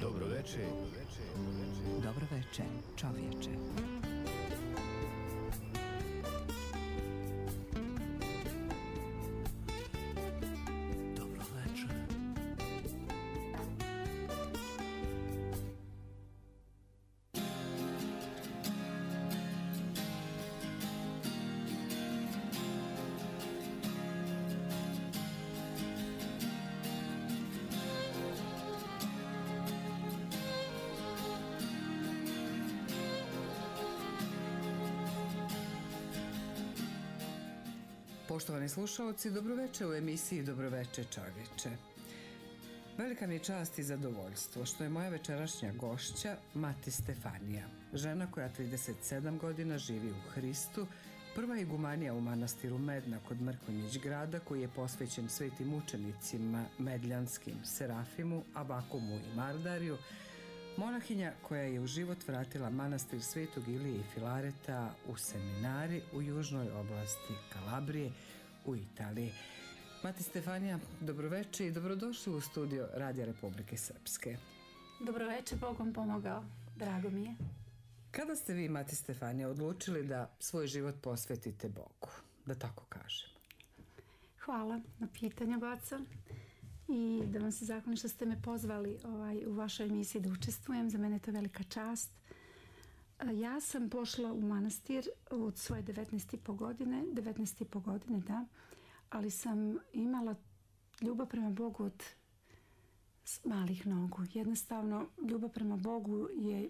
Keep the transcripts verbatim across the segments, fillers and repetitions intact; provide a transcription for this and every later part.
Dobroveče. Dobroveče, čovječe. Poštovani slušalci, dobroveče u emisiji Dobroveče čovječe. Velika mi je čast i zadovoljstvo što je moja večerašnja gošća Mati Stefanija, žena koja trideset sedam godina živi u Hristu, prva igumanija u manastiru Medna kod Mrkonjić grada koji je posvećen svetim učenicima medljanskim Serafimu, Abakumu i Mardariju, monahinja koja je u život vratila manastir Svetog Ilije i Filareta u Seminari u južnoj oblasti Kalabrije u Italiji. Mati Stefanija, dobroveče i dobrodošli u studio Radija Republike Srpske. Dobroveče, Bogom pomogao, drago mi je. Kada ste vi, Mati Stefanija, odlučili da svoj život posvetite Bogu, da tako kažem? Hvala na pitanju, Goca. I da vam se zahvalim što ste me pozvali ovaj, u vašoj emisiji da učestvujem. Za mene je to velika čast. Ja sam pošla u manastir od svoje devetnaeste i po godine, devetnaeste i po godine, da, ali sam imala ljubav prema Bogu od malih nogu. Jednostavno, ljubav prema Bogu je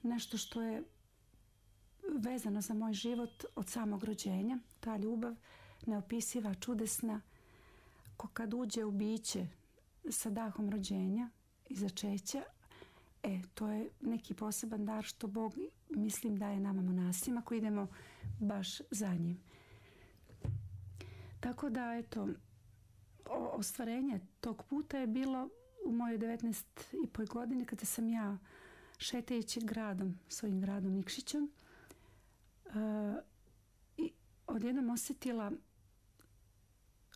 nešto što je vezano za moj život od samog rođenja. Ta ljubav neopisiva, čudesna, ko kad uđe u biće sa dahom rođenja i začeća, e, to je neki poseban dar što Bog, mislim, daje nama monasima koji idemo baš za njim. Tako da, eto, ostvarenje tog puta je bilo u mojoj devetnaest i po godini kada sam ja šetajući gradom, svojim gradom Nikšićem, uh, i odjednom osjetila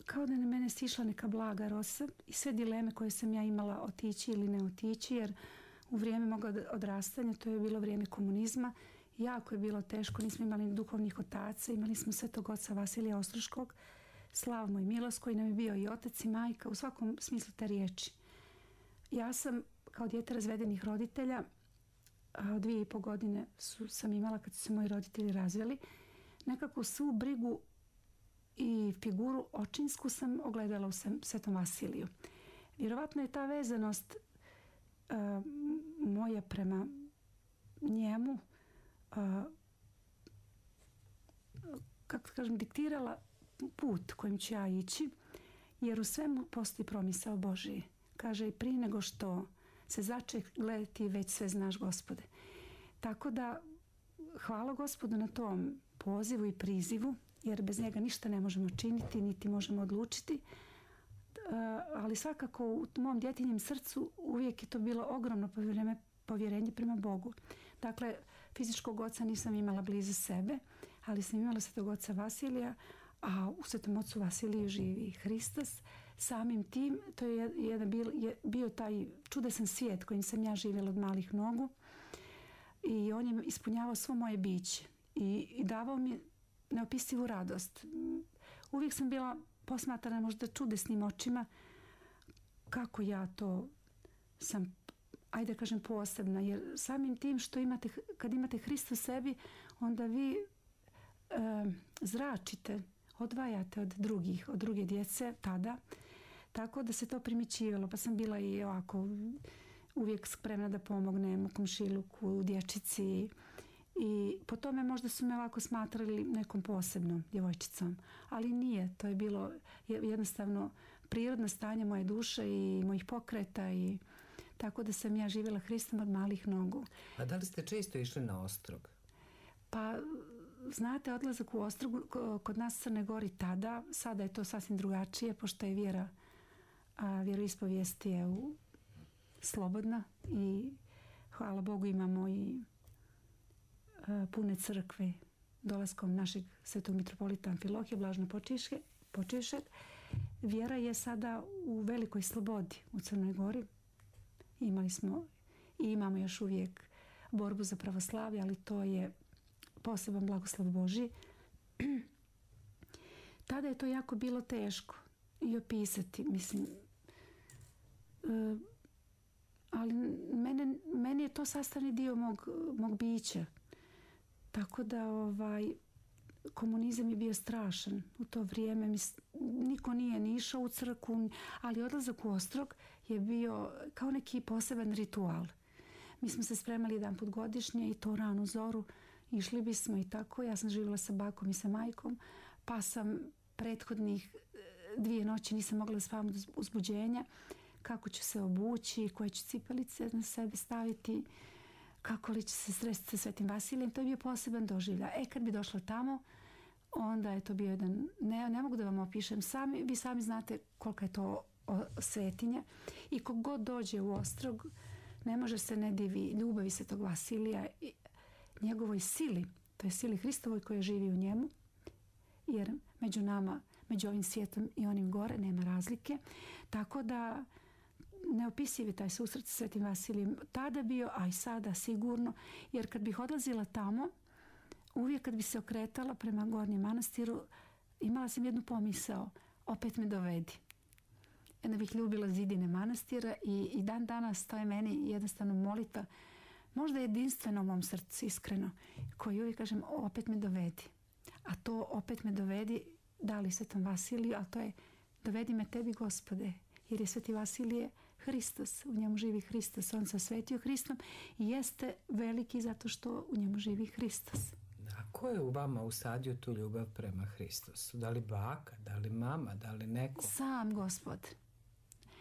kao da je na mene sišla neka blaga rosa i sve dileme koje sam ja imala otići ili ne otići, jer u vrijeme moga odrastanja, to je bilo vrijeme komunizma, jako je bilo teško, nismo imali duhovnih otaca, imali smo svetog oca Vasilija Ostroškog, Slavmo i Milos koji nam je bio i otac i majka u svakom smislu te riječi. Ja sam kao dijete razvedenih roditelja, dvije i po godine su, sam imala kad su se moji roditelji razveli, nekako svu brigu i figuru očinsku sam ogledala u Svetom Vasiliju. Vjerovatno je ta vezanost uh, moja prema njemu uh, kako kažem, diktirala put kojim ću ja ići, jer u svemu postoji promisao Božiji. Kaže, i prije nego što se zače, gledaj, ti već sve znaš, Gospode. Tako da hvala Gospodu na tom pozivu i prizivu, jer bez njega ništa ne možemo činiti, niti možemo odlučiti. Uh, ali svakako u mom djetinjem srcu uvijek je to bilo ogromno povjerenje, povjerenje prema Bogu. Dakle, fizičkog oca nisam imala blizu sebe, ali sam imala svetog oca Vasilija, a u svetom ocu Vasiliju živi Hristos. Samim tim, to je, jedan, bio, je bio taj čudesan svijet kojim sam ja živjela od malih nogu i on je ispunjavao svo moje biće i, i davao mi neopisivu radost. Uvijek sam bila posmatrana možda čudesnim očima kako ja to sam, ajde kažem, posebna, jer samim tim što imate, kad imate Hrista u sebi, onda vi e, zračite, odvajate od drugih, od druge djece tada, tako da se to primićivalo, pa sam bila i ovako uvijek spremna da pomognem u komšiluku, dječici. I po tome možda su me ovako smatrali nekom posebnom djevojčicom, ali nije, to je bilo jednostavno prirodno stanje moje duše i mojih pokreta, i tako da sam ja živjela Hristom od malih nogu. A da li ste često išli na Ostrog? Pa znate, odlazak u Ostrog kod nas u Crnoj Gori tada, sada je to sasvim drugačije, pošto je vjera, a vjeroispovijest je u, slobodna i hvala Bogu imamo i pune crkve dolaskom našeg svetog mitropolita Amfilohija, blažno počivšeg. vjera je sada u velikoj slobodi u Crnoj Gori. Imali smo i imamo još uvijek borbu za pravoslavlje, ali to je poseban blagoslov Božji. Tada je to jako bilo teško i opisati, mislim. E, ali mene, meni je to sastavni dio mog, mog bića. Tako da ovaj, komunizam je bio strašan u to vrijeme. Mis, niko nije ni išao u crkvu, ali odlazak u Ostrog je bio kao neki poseban ritual. Mi smo se spremali jedan put godišnje i to ranu zoru. Išli bismo i tako. Ja sam živjela sa bakom i sa majkom, pa sam prethodnih dvije noći nisam mogla spavam do uzbuđenja. Kako ću se obući, koje ću cipelice na sebe staviti, kako li će se sresti sa Svetim Vasilijem. To je bio poseban doživljaj. E, kad bi došla tamo, onda je to bio jedan, ne, ne mogu da vam opišem, sami, vi sami znate kolika je to svetinja. I kogod dođe u Ostrog, ne može se ne divi ljubavi Svetog Vasilija i njegovoj sili, to je sili Hristovoj koja živi u njemu, jer među nama, među ovim svijetom i onim gore nema razlike. Tako da neopisiv je taj susret sa Svetim Vasilijem tada bio, a i sada sigurno, jer kad bih odlazila tamo, uvijek kad bi se okretala prema Gornjem manastiru, imala sam jednu pomisao, opet me dovedi. Jedna bih ljubila zidine manastira i, i dan danas to je meni jednostavno molitva, možda jedinstveno u mom srcu, iskreno, koji uvijek kažem, opet me dovedi. A to opet me dovedi, dali Svetom Vasiliju, a to je dovedi me tebi, Gospode, jer je Sveti Vasilije Hristos, u njemu živi Hristos, on se osvetio Hristom i jeste veliki zato što u njemu živi Hristos. A ko je u vama usadio tu ljubav prema Hristosu? Da li baka, da li mama, da li neko? Sam Gospod.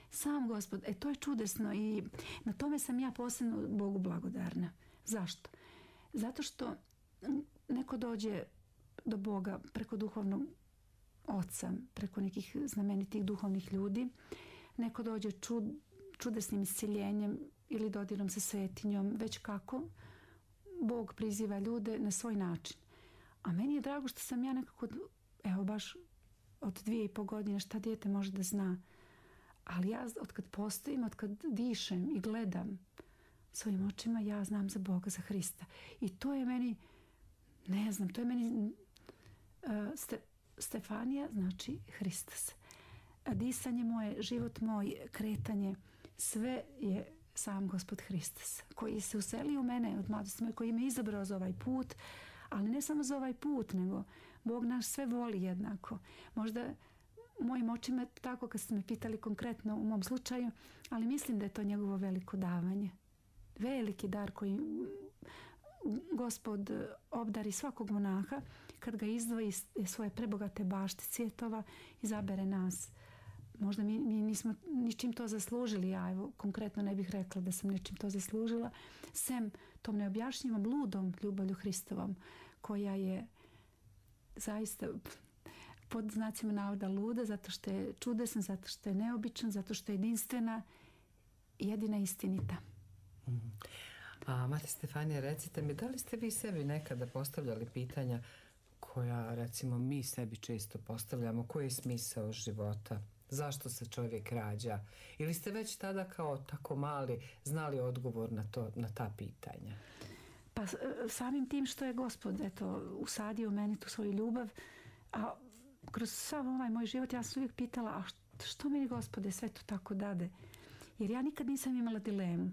Sam Gospod. E, to je čudesno i na tome sam ja posebno Bogu blagodarna. Zašto? Zato što neko dođe do Boga preko duhovnog oca, preko nekih znamenitih duhovnih ljudi, neko dođe čud, čudesnim isciljenjem ili dodirom sa svetinjom, već kako Bog priziva ljude na svoj način. A meni je drago što sam ja nekako, evo baš od dvije i po godine, šta dijete može da zna. Ali ja od kad postojim, od kad dišem i gledam svojim očima, ja znam za Boga, za Hrista. I to je meni, ne znam, to je meni uh, ste, Stefanija, znači Hristos. Disanje moje, život moj, kretanje, sve je sam Gospod Hristos, koji se uselio u mene od mladosti moje, koji me izabrao za ovaj put, ali ne samo za ovaj put, nego Bog nas sve voli jednako. Možda mojim očima tako kad ste me pitali konkretno u mom slučaju, ali mislim da je to njegovo veliko davanje. Veliki dar koji Gospod obdari svakog monaha kad ga izdvoji iz svoje prebogate bašte cvjetova, izabere nas. Možda mi, mi nismo ničim to zaslužili, ja evo konkretno ne bih rekla da sam ničim to zaslužila, sem tom neobjašnjivom ludom ljubavlju Hristovom, koja je zaista pod znacima navoda luda, zato što je čudesan, zato što je neobičan, zato što je jedinstvena i jedina istinita. Mm. A Mati Stefanija, recite mi, da li ste vi sebi nekada postavljali pitanja koja, recimo, mi sebi često postavljamo, koji je smisao života? Zašto se čovjek rađa? Ili ste već tada kao tako mali znali odgovor na, to, na ta pitanja? Pa samim tim što je Gospod eto, usadio u meni tu svoju ljubav, a kroz sav ovaj moj život ja sam uvijek pitala, a što meni Gospode sve to tako dade? Jer ja nikad nisam imala dilemu.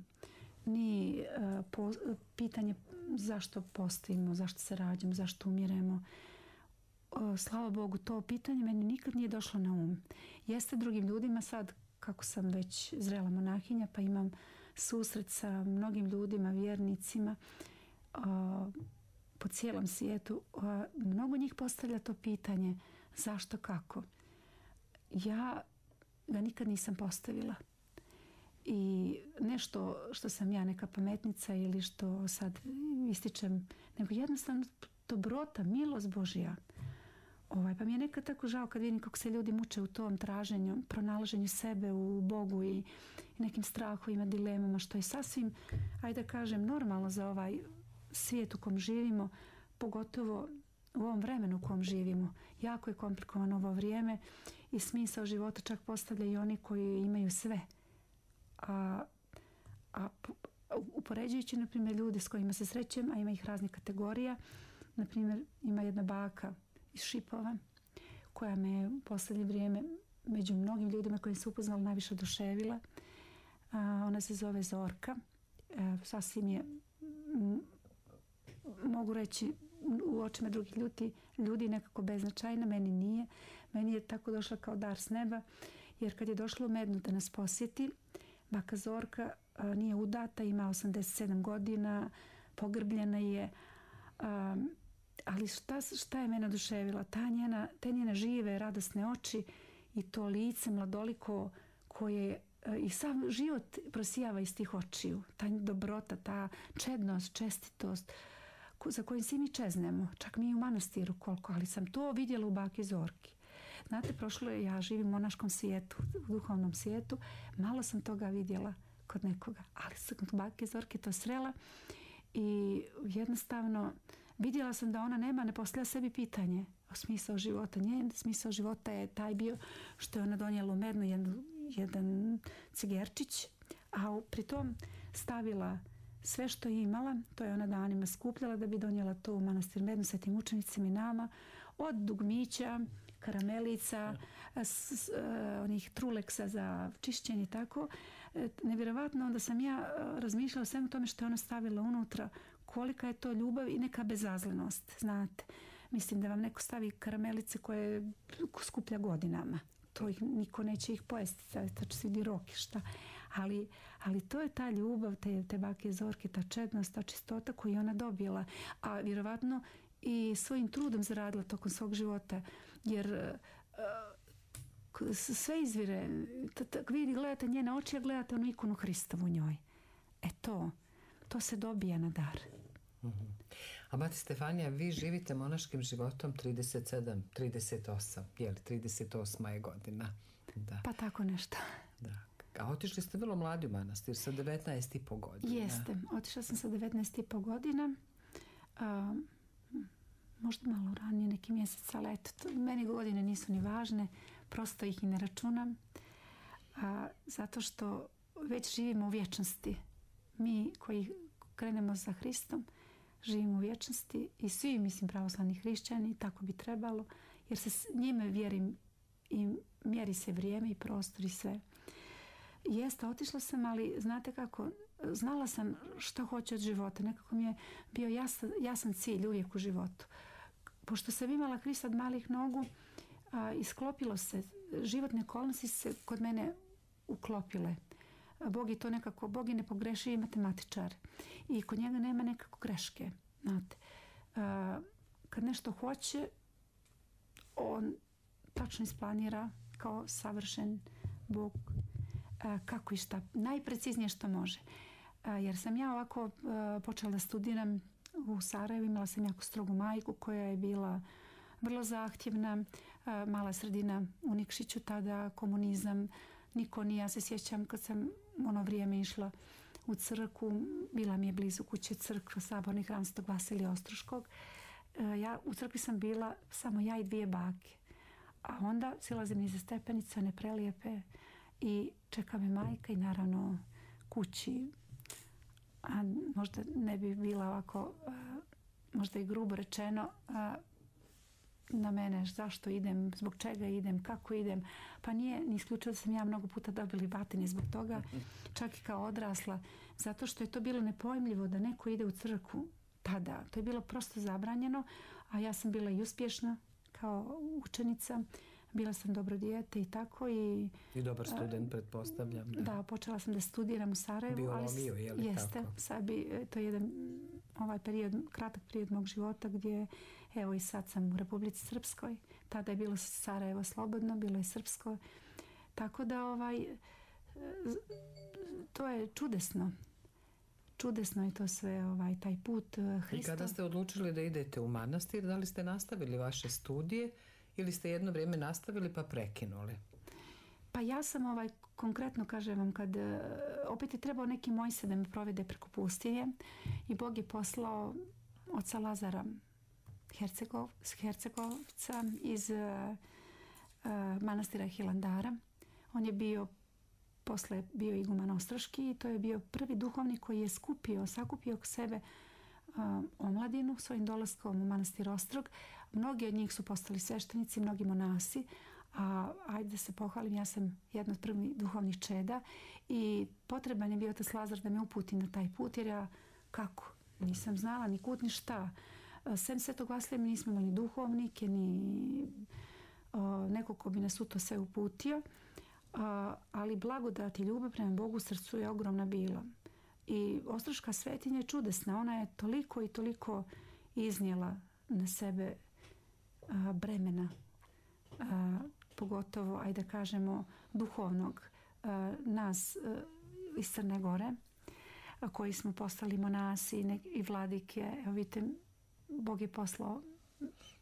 Ni uh, po, pitanje zašto postojimo, zašto se rađamo, zašto umiremo. Uh, slava Bogu, to pitanje meni nikad nije došlo na um. Jeste drugim ljudima sad, kako sam već zrela monahinja, pa imam susret sa mnogim ljudima, vjernicima, uh, po cijelom svijetu. Uh, mnogo njih postavlja to pitanje zašto, kako. Ja ga nikad nisam postavila. I nešto što sam ja neka pametnica ili što sad ističem, nego jednostavno dobrota, milost Božja. Ovaj, pa mi je nekad tako žao kad vidim kako se ljudi muče u tom traženju, pronalaženju sebe u Bogu i, i nekim strahovima, dilemama, što je sasvim, ajde da kažem, normalno za ovaj svijet u kom živimo, pogotovo u ovom vremenu u kom živimo. Jako je komplikovano ovo vrijeme i smisao života čak postavljaju i oni koji imaju sve. A, a upoređujući, na primjer, ljudi s kojima se srećem, a ima ih raznih kategorija, na primjer, ima jedna baka iz Šipova koja me u posljednje vrijeme među mnogim ljudima kojim se upoznala najviše oduševila. A, ona se zove Zorka. E, sasvim je, m, mogu reći, u očima drugih ljudi, ljudi nekako beznačajna, meni nije. Meni je tako došla kao dar s neba, jer kad je došla u Mednu da nas posjeti, baka Zorka a, nije udata, ima osamdeset sedam godina, pogrbljena je, a, ali šta, šta je mene oduševila? Ta njena, te njene žive, radosne oči i to lice mladoliko koje a, i sam život prosijava iz tih očiju. Ta dobrota, ta čednost, čestitost, za kojim svi mi čeznemo, čak mi i u manastiru koliko, ali sam to vidjela u baki Zorki. Znate, prošlo je, ja živim u monaškom svijetu, u duhovnom svijetu, malo sam toga vidjela kod nekoga, ali sam kod bake Zorke to srela i jednostavno vidjela sam da ona nema, ne postavlja sebi pitanje o smisao života. Njen smisao života je taj bio što je ona donijela u Mednu jedan, jedan cigerčić, a pritom stavila sve što je imala, to je ona danima skupljala da bi donijela to u manastir Mednu sa tim učenicima i nama, od dugmića, karamelica, s, s, onih truleksa za čišćenje i tako. Nevjerovatno, onda sam ja razmišljala o svemu tome što je ona stavila unutra, kolika je to ljubav i neka bezazlenost, znate. Mislim da vam neko stavi karamelice koje skuplja godinama. To ih, niko neće ih pojesti, tačno se vidi rok i šta. Ali, ali to je ta ljubav, te, te bake Zorke, ta čednost, ta čistota koju je ona dobila. A vjerovatno i svojim trudom zaradila tokom svog života. Jer uh, sve izvire, vi gledate njene oči, a gledate onu ikonu Hristovu u njoj. E to, to se dobija na dar. Mm-hmm. A mati Stefanija, vi živite monaškim životom trideset sedam, trideset osam, je li trideset osma je godina? Da. Pa tako nešto. Da. A otišli ste vrlo mladi u manastir, sa devetnaest i po godina. Jeste, otišla sam sa devetnaest i po godina. A, možda malo ranije, neki mjesec, ali eto, to, meni godine nisu ni važne, prosto ih i ne računam. A, zato što već živimo u vječnosti. Mi koji krenemo za Hristom, živimo u vječnosti i svi, mislim, pravoslavni hrišćani, tako bi trebalo, jer se njime vjerim i mjeri se vrijeme i prostor i sve. Jeste, otišla sam, ali znate kako, znala sam što hoću od života. Nekako mi je bio jasan, jasan cilj uvijek u životu. Pošto sam imala Hrista od malih nogu, a, isklopilo se, životne okolnosti se kod mene uklopile. Bog je to nekako, Bog je nepogrešivi matematičar i kod njega nema nekako greške. Znate, a, kad nešto hoće, on tačno isplanira kao savršen Bog a, kako i šta, najpreciznije što može. A, jer sam ja ovako a, počela da studiram u Sarajevu, imala sam jako strogu majku koja je bila vrlo zahtjevna, a, mala sredina u Nikšiću, tada komunizam, niko nije, ja se sjećam kad sam ono vrijeme išla u crkvu, bila mi je blizu kuće crkva, saborni hram Svetog Vasilija Ostroškog. E, ja, u crkvi sam bila samo ja i dvije bake. A onda silazim nize stepenice, one prelijepe i čeka me majka i naravno kući. A možda ne bi bila ovako, a, možda i grubo rečeno, a, na mene zašto idem, zbog čega idem, kako idem. Pa nije ni isključilo da sam ja mnogo puta dobili batine zbog toga, čak i kao odrasla, zato što je to bilo nepojmljivo da neko ide u crkvu tada. To je bilo prosto zabranjeno, a ja sam bila i uspješna kao učenica, bila sam dobro dijete i tako. I, I dobar student, pretpostavljam. Da. da, počela sam da studiram u Sarajevu. Biologiju, je li jeste, tako? Sad bi, to je jedan ovaj period, kratak period mog života gdje, evo i sad sam u Republici Srpskoj. Tada je bilo Sarajevo slobodno, bilo je srpsko. Tako da ovaj, to je čudesno. Čudesno je to sve, ovaj, taj put Hrista. I kada ste odlučili da idete u manastir, da li ste nastavili vaše studije ili ste jedno vrijeme nastavili pa prekinuli? Pa ja sam ovaj, konkretno kažem vam, kad opet je trebao neki Mojse da me provede preko pustinje i Bog je poslao oca Lazara Hercegov, Hercegovca iz uh, manastira Hilandara. On je bio, posle bio iguman Ostroški i to je bio prvi duhovnik koji je skupio, sakupio k sebe omladinu svojim dolaskom u manastir Ostrog. Mnogi od njih su postali sveštenici, mnogi monasi, a ajde da se pohvalim, ja sam jedna od prvih duhovnih čeda i potreban je bio otac Lazar da me uputi na taj put, jer ja kako? Nisam znala ni kud ni šta. Sem Svetog Vasilija mi nismo imali duhovnike, ni o, neko ko bi nas u to sve uputio, a, ali blagodat i ljubav prema Bogu u srcu je ogromna bila. I Ostroška svetinja je čudesna, ona je toliko i toliko iznijela na sebe a, bremena, a, pogotovo, ajde da kažemo, duhovnog a, nas a, iz Crne Gore, a, koji smo postali monasi i, i vladike. Evo vidite, Bog je poslao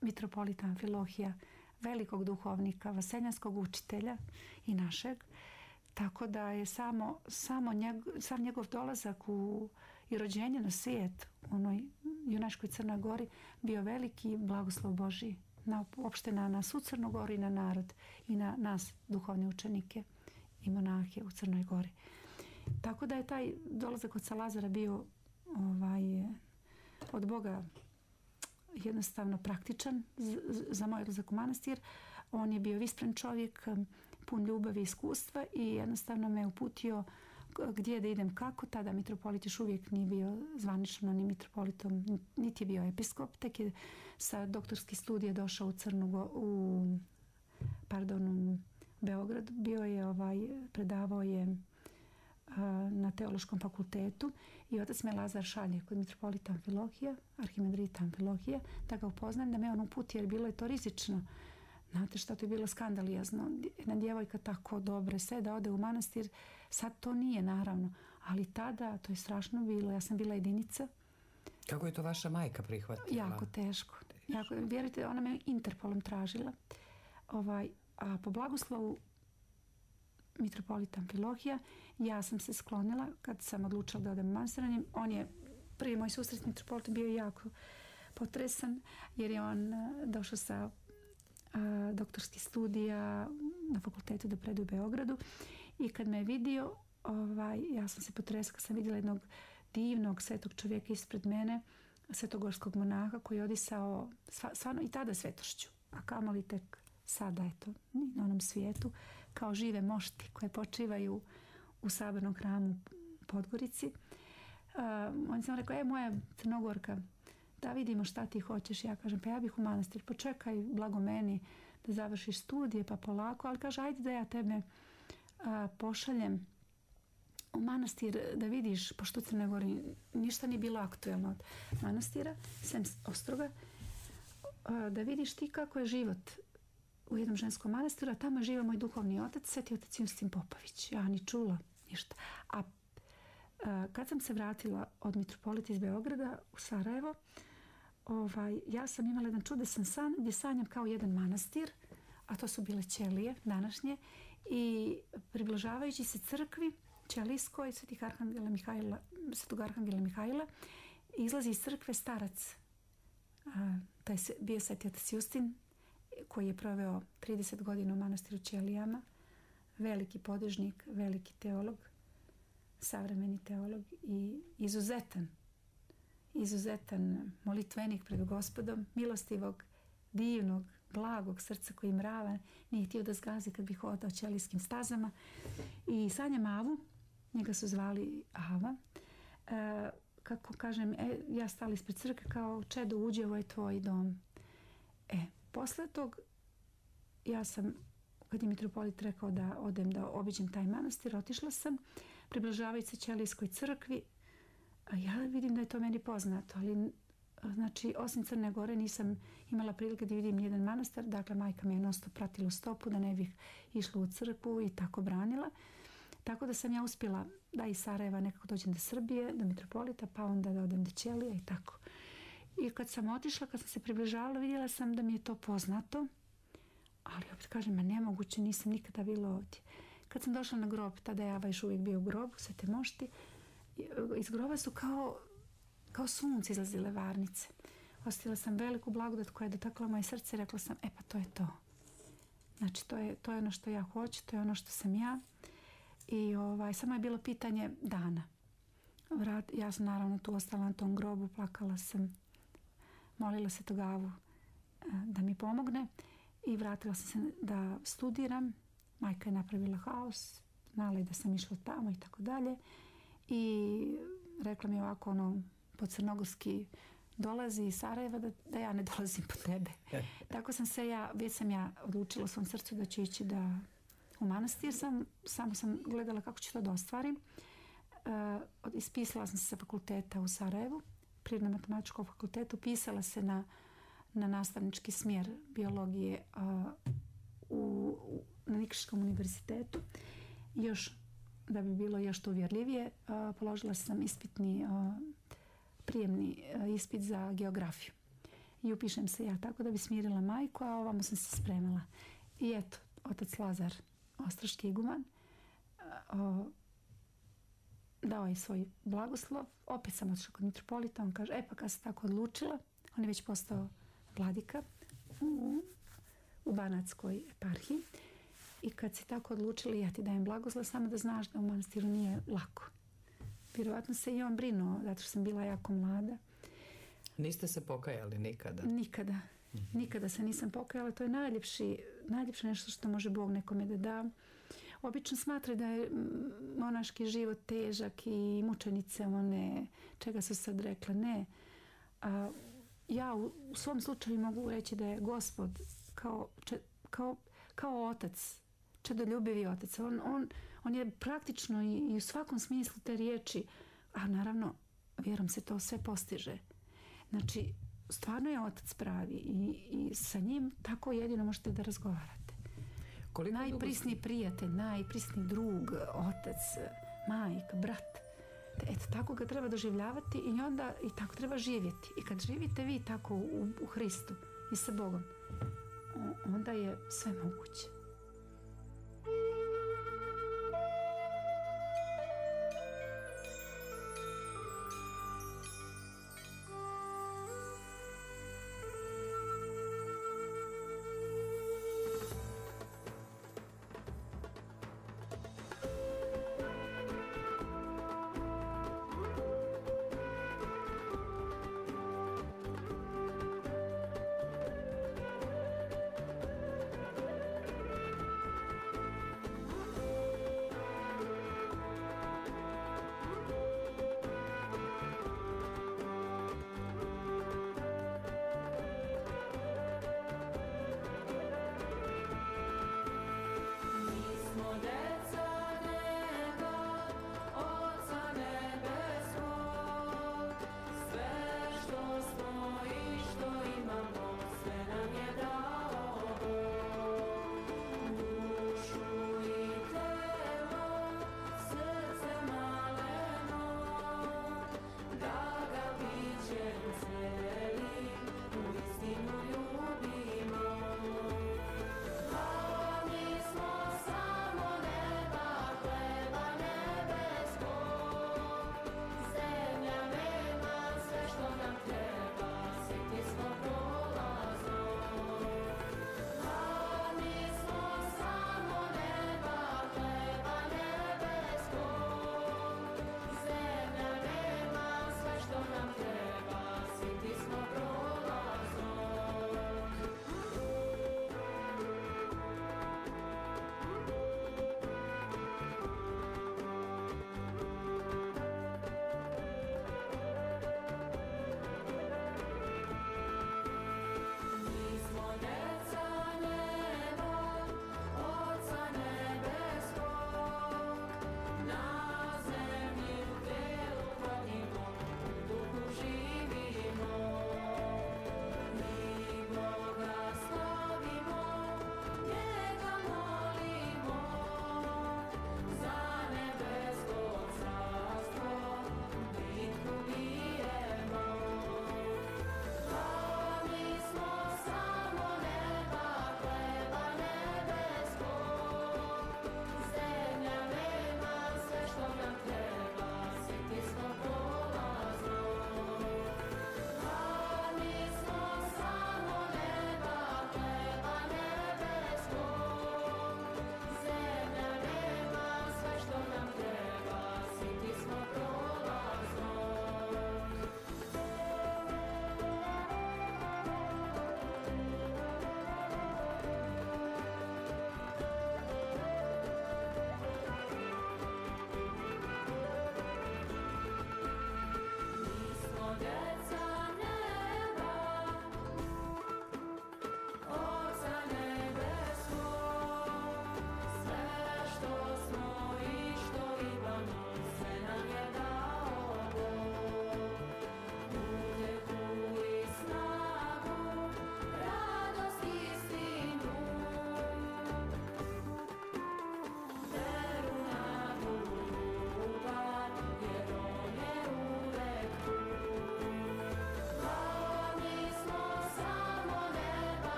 mitropolita Amfilohija, velikog duhovnika, vaseljanskog učitelja i našeg. Tako da je samo, samo njegov, sam njegov dolazak u, i rođenje na svijet u onoj junačkoj Crnoj Gori bio veliki blagoslov Božji. Na, uopšte na nas u Crnoj Gori i na narod i na nas duhovne učenike i monahe u Crnoj Gori. Tako da je taj dolazak od Lazara bio ovaj, od Boga jednostavno praktičan za moj odlazak u manastir. On je bio vispren čovjek, pun ljubavi i iskustva i jednostavno me uputio gdje da idem kako. Tada mitropolit još uvijek nije bio zvanično ni mitropolitom, niti je bio episkop. Tek je sa doktorskih studija došao u Crnu, u, pardon, u Beograd. Bio je, ovaj, predavao je na teološkom fakultetu i otac me Lazar šalje kod mitropolita Amfilohija, arhimandrita Amfilohija, da ga upoznam, da me on uputi, jer bilo je to rizično. Znate šta, to je bilo skandalizno. Jedna djevojka tako dobre, sve da ode u manastir, sad to nije naravno, ali tada to je strašno bilo. Ja sam bila jedinica. Kako je to vaša majka prihvatila? Jako teško. Jako, vjerujte, ona me Interpolom tražila. Ovaj, a po blagoslovu mitropolita Amfilohija ja sam se sklonila kad sam odlučila da odem u manastir. On je, prvi moj susret s mitropolitom bio jako potresan, jer je on došao sa a, doktorskih studija na fakultetu da predaje u Beogradu i kad me je vidio, ovaj, ja sam se potresla kad sam vidjela jednog divnog svetog čovjeka ispred mene, svetogorskog monaha koji je odisao stvarno i tada svetošću, a kamoli tek sada, eto, na onom svijetu, kao žive mošti koje počivaju u sabornom hramu u Podgorici. Uh, on sam rekao, e, moja Crnogorka, da vidimo šta ti hoćeš. Ja kažem, pa ja bih u manastir, počekaj, blago meni da završiš studije, pa polako, ali kaže, ajde da ja tebe uh, pošaljem u manastir da vidiš, pošto u Crnoj Gori ništa nije bilo aktuelno od manastira, sem Ostroga, uh, da vidiš ti kako je život u jednom ženskom manastiru, a tamo živa moj duhovni otac, sveti otac Justin Popović. Ja ni čula ništa. A, a kad sam se vratila od mitropolita iz Beograda u Sarajevo, ovaj, ja sam imala jedan čudesan san gdje sanjam kao jedan manastir, a to su bile ćelije današnje, i približavajući se crkvi ćelijskoj svetih Arhangela Mihajla, svetog Arhangela Mihajla, izlazi iz crkve starac. A, taj se, bio sveti otac Justin, koji je proveo trideset godina u manastiru Ćelijama, veliki podižnik, veliki teolog, savremeni teolog i izuzetan, izuzetan molitvenik pred Gospodom, milostivog, divnog, blagog srca koji mrava, nije htio da zgazi kad bi hodao ćelijskim stazama. I sanjam Avu, njega su zvali Ava, e, kako kažem, e, ja stala ispred crkve kao čedo, uđi, ovo je tvoj dom. E, posle tog, ja sam, kad je mitropolit rekao da odem da obiđem taj manastir, otišla sam, približavajući se Ćelijskoj crkvi, a ja vidim da je to meni poznato, ali znači, osim Crne Gore nisam imala prilike da vidim jedan manastir, dakle majka me je non-stop pratila u stopu da ne bih išla u crkvu i tako branila. Tako da sam ja uspjela da iz Sarajeva nekako dođem do Srbije, do mitropolita, pa onda da odem do Ćelija i tako. I kad sam otišla, kad sam se približavala, vidjela sam da mi je to poznato, ali opet kažem, ma nemoguće, nisam nikada bila ovdje. Kad sam došla na grob, tada je Ava još uvijek bio u grobu, Svete mošti, iz groba su kao, kao sunce izlazile varnice. Osjetila sam veliku blagodat koja je dotakla moje srce i rekla sam, e pa to je to. Znači, to je, to je ono što ja hoću, to je ono što sam ja. I ovaj, samo je bilo pitanje dana. Vrat, ja sam naravno tu ostala na tom grobu, plakala sam, molila se Togavu da mi pomogne i vratila sam se da studiram. Majka je napravila haos, znala je da sam išla tamo i tako dalje. I rekla mi ovako, ono, po crnogorski dolazi iz Sarajeva da, da ja ne dolazim po tebe. Tako sam se ja, već sam ja odlučila u svom srcu da ću ići da u manastir. Sam, samo sam gledala kako ću to da ostvarim. Uh, ispisala sam se sa fakulteta u Sarajevu, Prirodno-matematičkog fakultetu, pisala se na, na nastavnički smjer biologije uh, u, u, na Nikšićkom univerzitetu. Još, da bi bilo još to uvjerljivije, uh, položila sam ispitni, uh, prijemni uh, ispit za geografiju. I upišem se ja tako da bi smirila majku, a ovamo sam se spremala. I eto, otac Lazar, ostroški iguman, uh, dao je svoj blagoslov. Opet sam otišla kod mitropolita, on kaže, e pa kad se tako odlučila, on je već postao vladika u, u Banatskoj eparhiji. I kad si tako odlučili, ja ti dajem blagoslov, samo da znaš da u manastiru nije lako. Vjerovatno se i on brinuo, zato što sam bila jako mlada. Niste se pokajali nikada? Nikada. Mm-hmm. Nikada se nisam pokajala. To je najljepši, najljepše nešto što može Bog nekome da da. Obično smatra da je monaški život težak i mučenice one, čega su sad rekle, ne. A, ja u, u svom slučaju mogu reći da je Gospod kao, če, kao, kao otac, čedoljubivi otac. On, on, on je praktično i, i u svakom smislu te riječi, a naravno, vjerom se to sve postiže. Znači, stvarno je otac pravi i, i sa njim tako jedino možete da razgovarate. Koliko najprisniji dugo... prijatelj, najprisniji drug, otac, majka, brat. Eto, tako ga treba doživljavati i onda i tako treba živjeti. I kad živite vi tako u, u Hristu i sa Bogom, onda je sve moguće.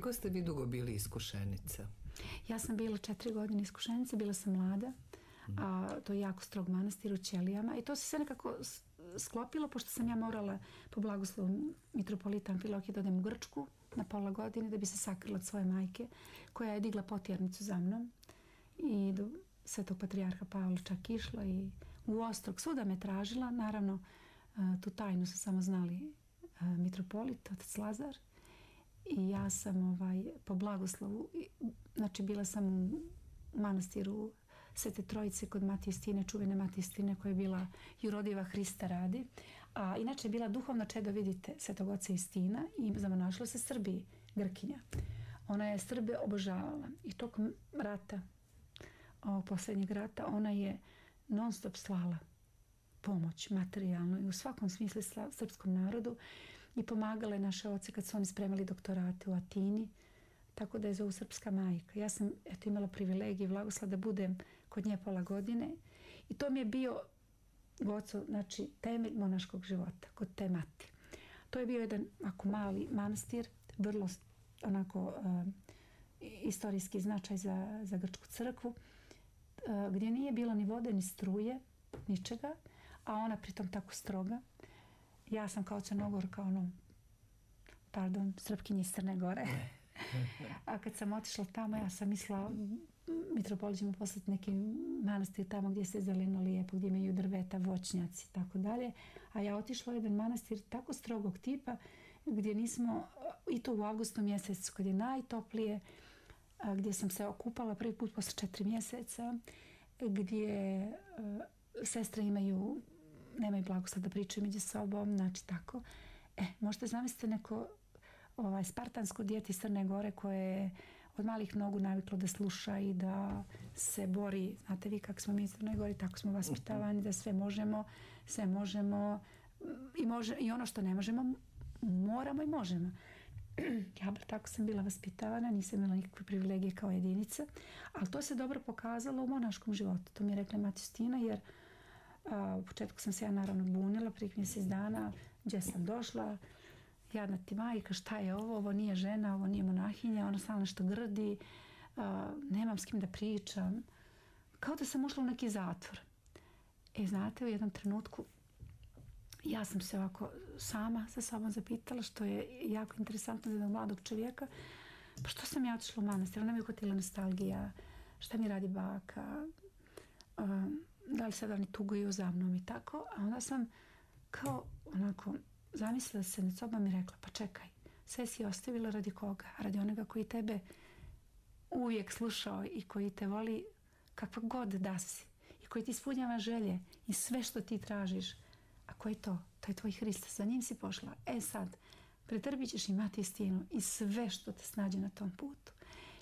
Koliko ste vi dugo bili iskušenica? Ja sam bila četiri godine iskušenica, bila sam mlada. A, to je jako strog manastir u Ćelijama i to se sve nekako sklopilo pošto sam ja morala po blagoslovu mitropolita Amfilohije da odem u Grčku na pola godine da bi se sakrila od svoje majke koja je digla potjernicu za mnom i do svetog patrijarha Pavla čak išla i u Ostrog svuda me tražila. Naravno tu tajnu su samo znali mitropolit, otac Lazar, i ja sam ovaj, po blagoslovu, znači bila sam u manastiru Svete Trojice kod Matije Stine, čuvene Matije Stine koja je bila jurodiva Hrista radi. A inače je bila duhovno čedo, vidite, Svetog oca Istina i zamonašila se Srbiji, Grkinja. Ona je Srbe obožavala i tokom rata, ovog posljednjeg rata, ona je non stop slala pomoć materijalno i u svakom smislu srpskom narodu i pomagala je naše oce kad su oni spremali doktorate u Atini, tako da je zovu srpska majka. Ja sam eto, imala privilegiju i blagoslov da budem kod nje pola godine i to mi je bio goco, znači temelj monaškog života kod te mati. To je bio jedan ako mali manastir, vrlo onako uh, istorijski značaj za, za Grčku crkvu, uh, gdje nije bilo ni vode, ni struje, ničega, a ona pritom tako stroga. Ja sam kao Crnogorka, ono, pardon, Srpkinja iz Crne Gore. A kad sam otišla tamo, ja sam mislila mitropolit će mu poslati neki manastir tamo gdje se zeleno lijepo, gdje imaju drveta, voćnjaci i tako dalje. A ja otišla u jedan manastir tako strogog tipa gdje nismo, i to u avgustu mjesecu kad je najtoplije, gdje sam se okupala prvi put posle četiri mjeseca, gdje uh, sestre imaju, nemaju blagoslov da pričaju među sobom, znači tako. E, možete zamisliti neko ovaj, spartansko dijete iz Crne Gore koje je od malih nogu naviklo da sluša i da se bori. Znate vi kako smo mi iz Crne Gore, tako smo vaspitavani da sve možemo, sve možemo i, može, i ono što ne možemo, moramo i možemo. Ja tako sam bila vaspitavana, nisam imala nikakve privilegije kao jedinica, ali to se dobro pokazalo u monaškom životu. To mi je rekla Matija Stina, jer a, u početku sam se ja naravno bunila, prije mjesec dana, gdje sam došla, jadna ti majka, šta je ovo, ovo nije žena, ovo nije monahinja, ona samo nešto grdi, a, nemam s kim da pričam. Kao da sam ušla u neki zatvor. E, znate, u jednom trenutku ja sam se ovako sama sa sobom zapitala, što je jako interesantno za jednog mladog čovjeka, pa što sam ja otišla u manastir, ona mi je uhvatila nostalgija, šta mi radi baka, um, da li sad oni tuguju za mnom i tako, a onda sam kao onako zamislila se nad sobom i rekla, pa čekaj, sve si ostavila radi koga? Radi onoga koji tebe uvijek slušao i koji te voli kakva god da si i koji ti ispunjava želje i sve što ti tražiš. A ko je to? To je tvoj Hristos, za njim si pošla. E sad, pretrpit ćeš imati istinu i sve što te snađe na tom putu.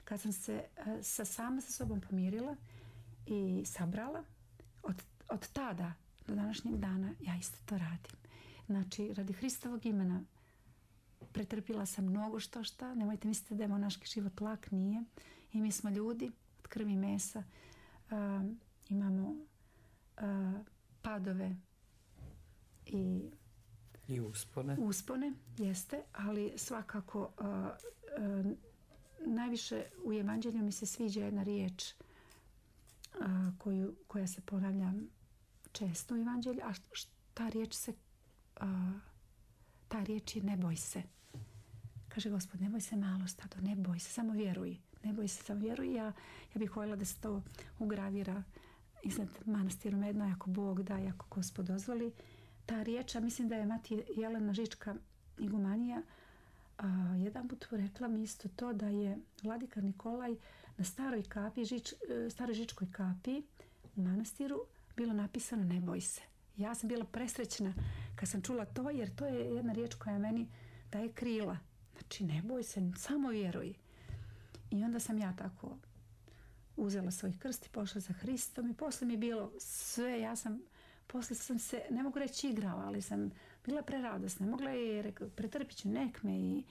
Kad sam se uh, sa sama sa sobom pomirila i sabrala, od, od tada do današnjeg dana ja isto to radim. Znači, radi Hristovog imena pretrpila sam mnogo što šta. Nemojte misliti da je monaški život lak, nije. I mi smo ljudi od krvi i mesa. Uh, imamo uh, padove, I, I uspone. Uspone, jeste, ali svakako uh, uh, najviše u Evanđelju mi se sviđa jedna riječ uh, koju, koja se ponavlja često u Evanđelju, a ta riječ se uh, ta riječ je ne boj se. Kaže Gospod, ne boj se malo stado, ne boj se, samo vjeruj. Ne boj se, samo vjeruj. Ja, ja bih voljela da se to ugravira iznad manastiru Medno, ako Bog da, ako Gospod dozvoli. Ta riječ, a mislim da je mati Jelena Žička igumanija a, jedan put rekla mi isto to da je vladika Nikolaj na staroj kapi, žič, staroj žičkoj kapi u manastiru bilo napisano ne boj se. Ja sam bila presrećna kad sam čula to, jer to je jedna riječ koja meni daje krila. Znači ne boj se, samo vjeruj. I onda sam ja tako uzela svoj krst i pošla za Hristom i posle mi je bilo sve, ja sam posle sam se, ne mogu reći igrala, ali sam bila preradosna. Mogla je, rekao, pretrpit ću, nek me i,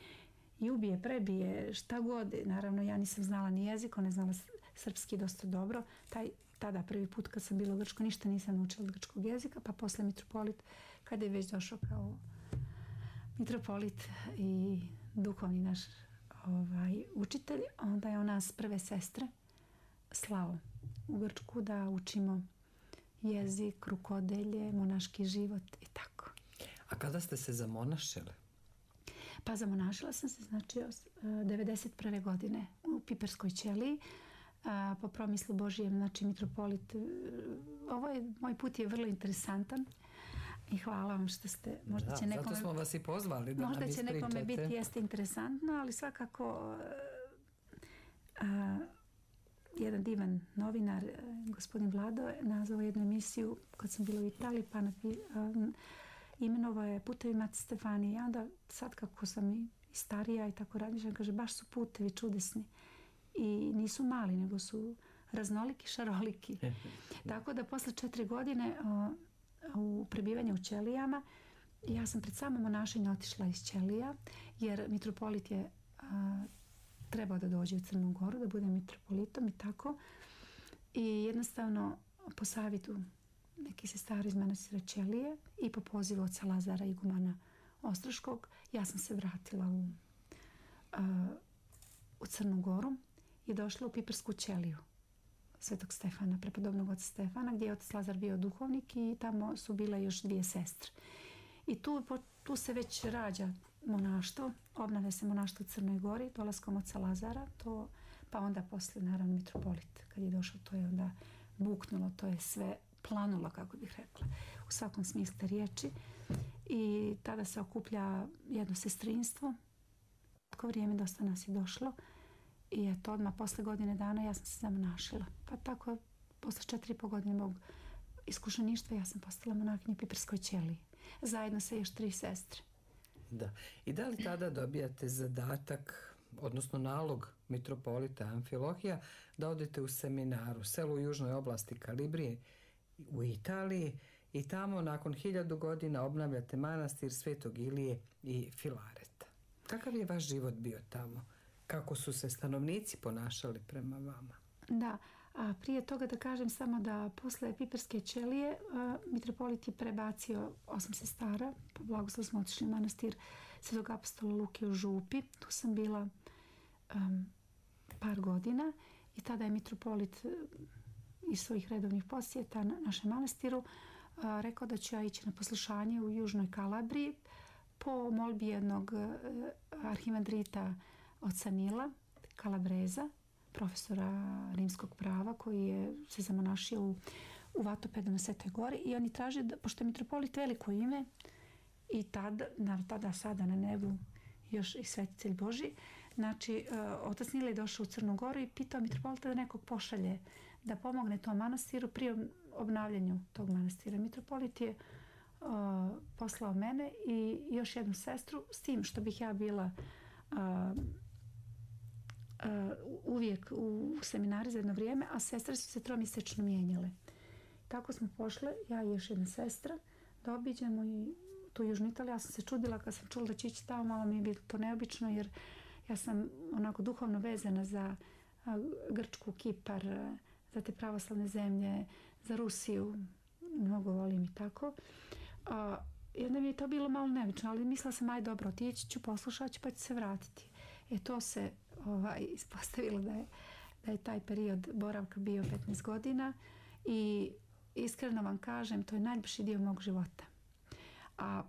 i ubije, prebije, šta god. Naravno, ja nisam znala ni jezik, ne znala srpski dosta dobro. Taj, tada prvi put kad sam bila u Grčkoj, ništa nisam naučila od grčkog jezika, pa posle mitropolit, kada je već došao kao mitropolit i duhovni naš ovaj, učitelj, onda je on nas prve sestre slao u Grčku da učimo jezik, rukodelje, monaški život i tako. A kada ste se zamonašili? Pa zamonašila sam se, znači, devedeset prve godine u Piperskoj ćeliji, a, po promislu Božijem, znači mitropolit. Ovo je, moj put je vrlo interesantan i hvala vam što ste, možda Da, će nekome... zato smo vas i pozvali da možda nam će ispričate. nekome biti jeste interesantno, ali svakako a, jedan divan novinar, gospodin Vlado, je nazvao jednu emisiju kad sam bila u Italiji, pa napi, a, imenovao je Putevi Mate Stefanije. I onda sad kako sam i starija i tako razmišljam, kaže baš su putevi čudesni i nisu mali, nego su raznoliki, šaroliki. Tako da posle četiri godine a, u prebivanju u ćelijama, ja sam pred samo monašenje otišla iz ćelija, jer mitropolit je a, trebao da dođe u Crnu Goru, da bude mitropolitom i tako. I jednostavno po savjetu neki sestara iz manastira Ćelije i po pozivu oca Lazara igumana Ostroškog, ja sam se vratila u, a, u Crnu Goru i došla u Pipersku ćeliju Svetog Stefana, prepodobnog oca Stefana, gdje je otac Lazar bio duhovnik i tamo su bile još dvije sestre. I tu, tu se već rađa monaštvo, obnavlja se monaštvo u Crnoj Gori dolaskom oca Lazara, to, pa onda posle naravno mitropolit. Kad je došao, to je onda buknulo, to je sve planulo, kako bih rekla, u svakom smislu te riječi. I tada se okuplja jedno sestrinstvo. Tako vrijeme dosta nas je došlo i eto, odmah posle godine dana ja sam se zamonašila. Pa tako, posle četiri i po godine mog iskušeništva ja sam postala monahinja u Piperskoj ćeliji. Zajedno sa još tri sestre. Da. I da li tada dobijate zadatak, odnosno nalog mitropolita Amfilohija, da odete u seminar u selu u južnoj oblasti Kalibrije u Italiji i tamo nakon hiljadu godina obnavljate manastir Svetog Ilije i Filareta. Kakav je vaš život bio tamo? Kako su se stanovnici ponašali prema vama? Da, a prije toga da kažem samo da posle Piperske ćelije a, mitropolit je prebacio osam sestara, po blagoslovu smo otišli u manastir Svetog apostola Luke u Župi. Tu sam bila um, par godina i tada je mitropolit iz svojih redovnih posjeta na našem manastiru a, rekao da ću ja ići na poslušanje u Južnoj Kalabriji po molbi jednog a, arhimandrita oca Nila Kalabreza, profesora rimskog prava, koji je se zamonašio u, u Vatopedu na Svetoj Gori, i oni traže, da, pošto je mitropolit veliko ime i tada, na, tada sada na nebu još i svetitelj Boži, znači uh, otac Nila je došao u Crnu Goru i pitao mitropolita da nekog pošalje da pomogne tom manastiru pri obnavljanju tog manastira. Mitropolit je uh, poslao mene i još jednu sestru, s tim što bih ja bila uh, Uh, uvijek u seminari za jedno vrijeme, a sestre su se tromjesečno mijenjale. Tako smo pošle, ja i još jedna sestra, da obiđemo i tu Južnu Italiju. Ja sam se čudila kad sam čula da će ići tamo, malo mi je bilo to neobično, jer ja sam onako duhovno vezana za uh, Grčku, Kipar, uh, za te pravoslavne zemlje, za Rusiju, mnogo volim i tako. Uh, I onda mi je to bilo malo neobično, ali mislila sam, aj dobro, otići ću, poslušat ću, pa ću se vratiti. E to se ovaj, ispostavilo da je, da je taj period boravka bio petnaest godina i iskreno vam kažem, to je najljepši dio mog života. A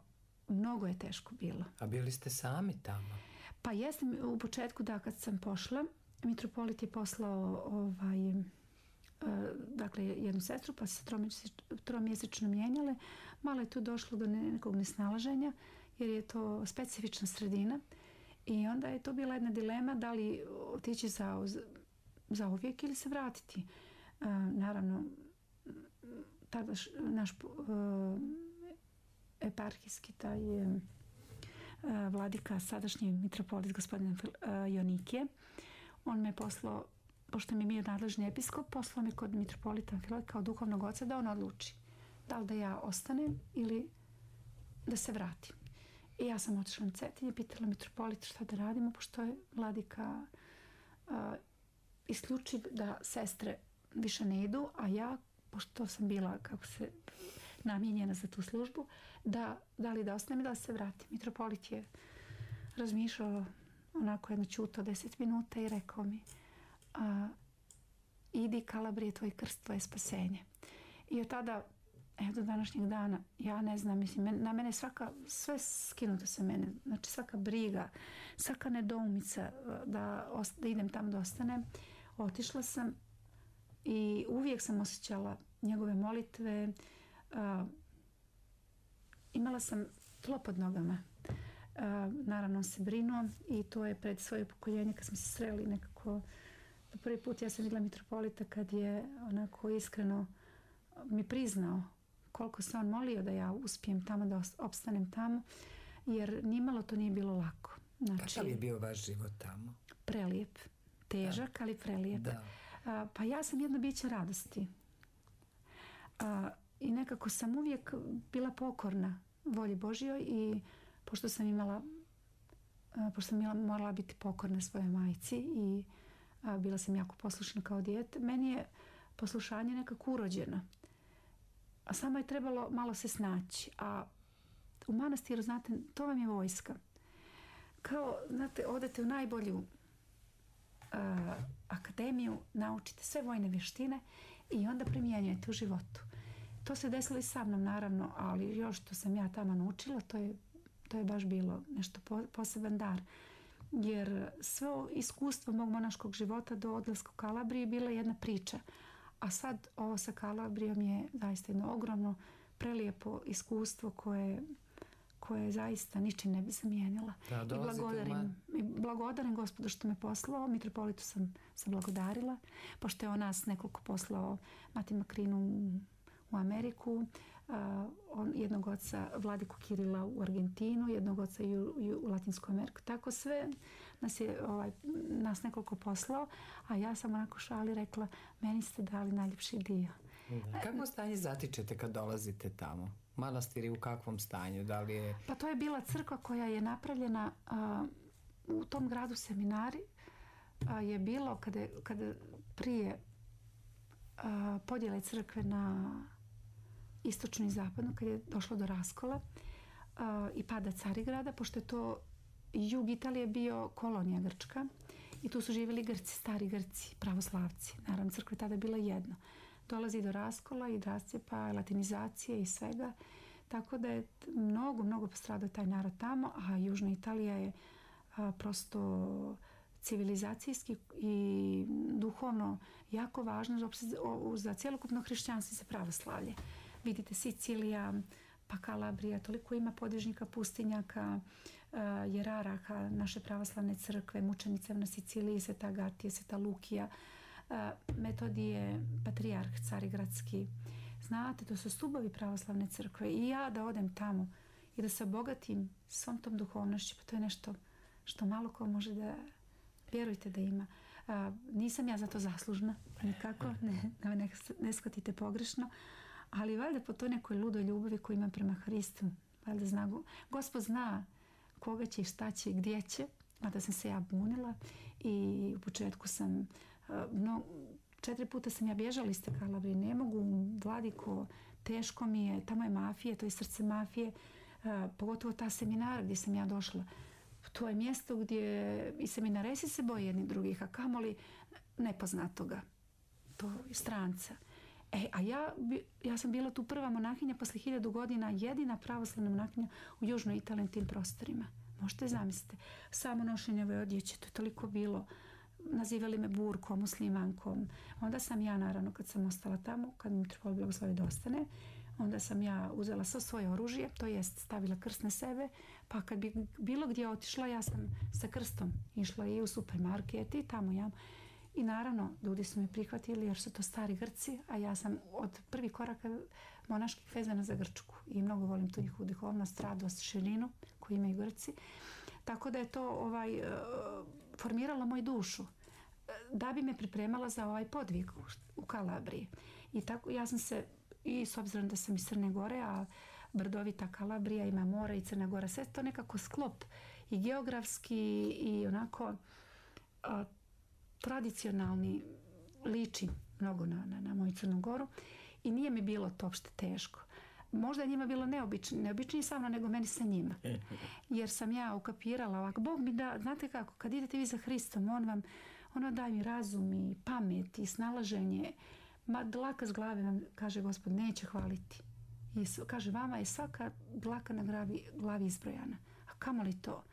mnogo je teško bilo. A bili ste sami tamo? Pa jesam u početku, da, kad sam pošla, mitropolit je poslao ovaj, uh, dakle, jednu sestru, pa se tromjesečno mijenjale. Malo je tu došlo do nekog nesnalaženja, jer je to specifična sredina. I onda je to bila jedna dilema da li otići za, za uvijek ili se vratiti. Uh, naravno, tada š, naš uh, eparhijski taj uh, vladika, sadašnji mitropolit gospodin uh, Jonikije, on me poslao, pošto mi je bio nadležni episkop, poslao me kod mitropolita Amfilohija kao duhovnog oca da on odluči da li da ja ostanem ili da se vratim. I ja sam otišla na Cetinje, pitala mitropolita šta da radimo, pošto je vladika uh, isključiv da sestre više ne idu, a ja, pošto sam bila, kako se, namijenjena za tu službu, da, da li da ostanem i da se vratim. Mitropolit je razmišljao onako jedno ćuto deset minuta i rekao mi a, idi Kalabrije, tvoj krst, tvoje spasenje. I od tada, evo do današnjeg dana, ja ne znam, mislim, na mene svaka, sve skinuto sa mene, znači svaka briga, svaka nedoumica da, da idem tamo da ostanem. Otišla sam i uvijek sam osjećala njegove molitve, a, imala sam tlo pod nogama. A, naravno on se brinuo i to je pred svoje upokoljenje kad smo se sreli nekako. Prvi put ja sam vidjela mitropolita kad je onako iskreno mi priznao koliko se on molio da ja uspijem tamo, da opstanem tamo, jer nimalo to nije bilo lako. Znači, kakav je bio vaš život tamo? Prelijep. Težak, da. Ali prelijep. Da. A, pa ja sam jedno biće radosti. A, I nekako sam uvijek bila pokorna volji Božjoj i pošto sam imala a, pošto sam imala, morala biti pokorna svojoj majci i a, bila sam jako poslušna kao dijete, meni je poslušanje nekako urođeno. A samo je trebalo malo se snaći. A u manastiru, znate, to vam je vojska. Kao, znate, odete u najbolju uh, akademiju, naučite sve vojne vještine i onda primjenjujete u životu. To se desilo i sa mnom, naravno, ali još što sam ja tamo naučila, to je, to je baš bilo nešto po, poseban dar. Jer sve iskustvo mog monaškog života do odlaska u Kalabriji bila jedna priča. A sad ovo sa Kalabrijom je zaista jedno ogromno, prelijepo iskustvo koje, koje zaista ničim ne bi zamijenila. Da, I blagodarim, man... i blagodarim Gospodu što me poslao. Mitropolitu sam se blagodarila, pošto je on nas nekoliko poslao Mati Makrinu u Ameriku, uh, on, jednog oca Vladiku Kirila u Argentinu, jednog oca i u, i u Latinsku Ameriku. Tako sve nas je ovaj, nas nekoliko poslao, a ja sam onako šali rekla, meni ste dali najljepši dio. Da. Kako stanje zatičete kad dolazite tamo? Manastir je u kakvom stanju? Da li je... Pa to je bila crkva koja je napravljena uh, u tom gradu Seminari. Uh, je bilo kada, kada prije uh, podjele crkve na istočnu i zapadnu, kad je došlo do raskola uh, i pada Carigrada, pošto je to jug Italije bio kolonija Grčka i tu su živjeli Grci, stari Grci, pravoslavci. Naravno, crkva je tada bila jedno. Dolazi do raskola i rascijepa, latinizacije i svega. Tako da je mnogo, mnogo postradao taj narod tamo, a južna Italija je a, prosto civilizacijski i duhovno jako važno za, za cjelokupno hrišćanstvo i za pravoslavlje. Vidite, Sicilija, pa Kalabrija, toliko ima podvižnika, pustinjaka, uh, jeraraha naše pravoslavne crkve, mučenica na Siciliji, Sveta Agatija, Sveta Lukija, uh, Metodije, patrijarh carigradski. Znate, to su stubovi pravoslavne crkve i ja da odem tamo i da se obogatim svom tom duhovnošću, pa to je nešto što malo ko može da, vjerujte da ima. Uh, nisam ja za to zaslužna, nikako, ne, ne, ne shvatite pogrešno, ali valjda po toj nekoj ludoj ljubavi koju imam prema Hristu, valjda zna, Gospod zna koga će i šta će i gdje će, mada sam se ja bunila i u početku sam, no, četiri puta sam ja bježala iz te Kalabrije, ne mogu, Vladiko, teško mi je, tamo je mafija, to je srce mafije, pogotovo ta seminara gdje sam ja došla. To je mjesto gdje i seminaresi se boje jedni drugih, a kamoli nepoznatoga, to je stranca. E, a ja, ja sam bila tu prva monahinja posle hiljadu godina, jedina pravoslavna monahinja u južnoj Italiji tim prostorima. Možete zamisliti. Samo nošenje ove odjeće, to je toliko bilo. Nazivali me burkom, muslimankom. Onda sam ja, naravno, kad sam ostala tamo, kad mi trebalo blagoslovi da ostane, onda sam ja uzela svo svoje oružje, to jest stavila krst na sebe, pa kad bi bilo gdje otišla, ja sam sa krstom išla i u supermarket i tamo ja. I naravno, ljudi su me prihvatili jer su to stari Grci, a ja sam od prvih koraka monaških vezana za Grčku i mnogo volim tu njihovu duhovnost, radost, širinu koju imaju Grci. Tako da je to ovaj, formiralo moju dušu da bi me pripremala za ovaj podvig u Kalabriji. I tako ja sam se, i s obzirom da sam iz Crne Gore, a brdovita Kalabrija ima more i Crna Gora, sve to nekako sklop i geografski i onako a, tradicionalni, liči mnogo na, na, na moju Crnu Goru i nije mi bilo to uopšte teško. možda je njima bilo neobično, neobičnije sa mnom nego meni sa njima. Jer sam ja ukapirala ovako, Bog mi da, znate kako, kad idete vi za Hristom, on vam, ono daje mi razum i pamet i snalaženje. Ma dlaka s glave vam, kaže Gospod, neće hvaliti. I kaže, vama je svaka dlaka na glavi, glavi izbrojana. A kamo li to?